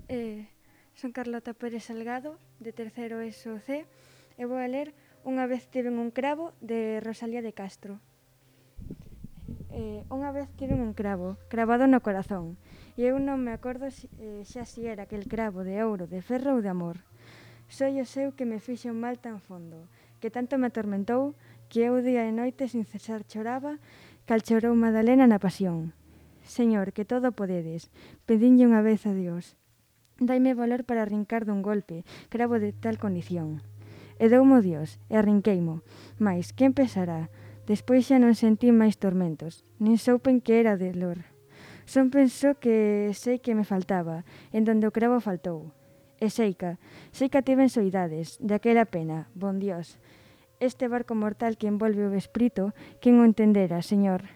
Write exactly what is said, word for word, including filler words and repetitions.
Eh, son Carlota Pérez Salgado, de terceiro ESO C, e vou a ler Unha vez tiven un cravo, de Rosalía de Castro. Eh, unha vez tiven un cravo, cravado no corazón, e eu non me acordo si, eh, xa si era aquel cravo de ouro, de ferro ou de amor. Foi o seu que me fixo un mal tan fondo, que tanto me atormentou, que eu día e noite sin cesar choraba, cal chorou Madalena na pasión. Señor, que todo podedes, pedinlle unha vez a Dios. Daime valor para arrincar dun golpe, cravo de tal condición. E doumo Dios, e arrinqueimo. Mais, quen pesará? Despois xa non sentí máis tormentos, nin soupen que era de lor. Son penso que sei que me faltaba, en donde o cravo faltou. E seica, seica tiven soidades, daquela pena, bon Dios. Este barco mortal que envolve o espírito, quen o entendera, Señor?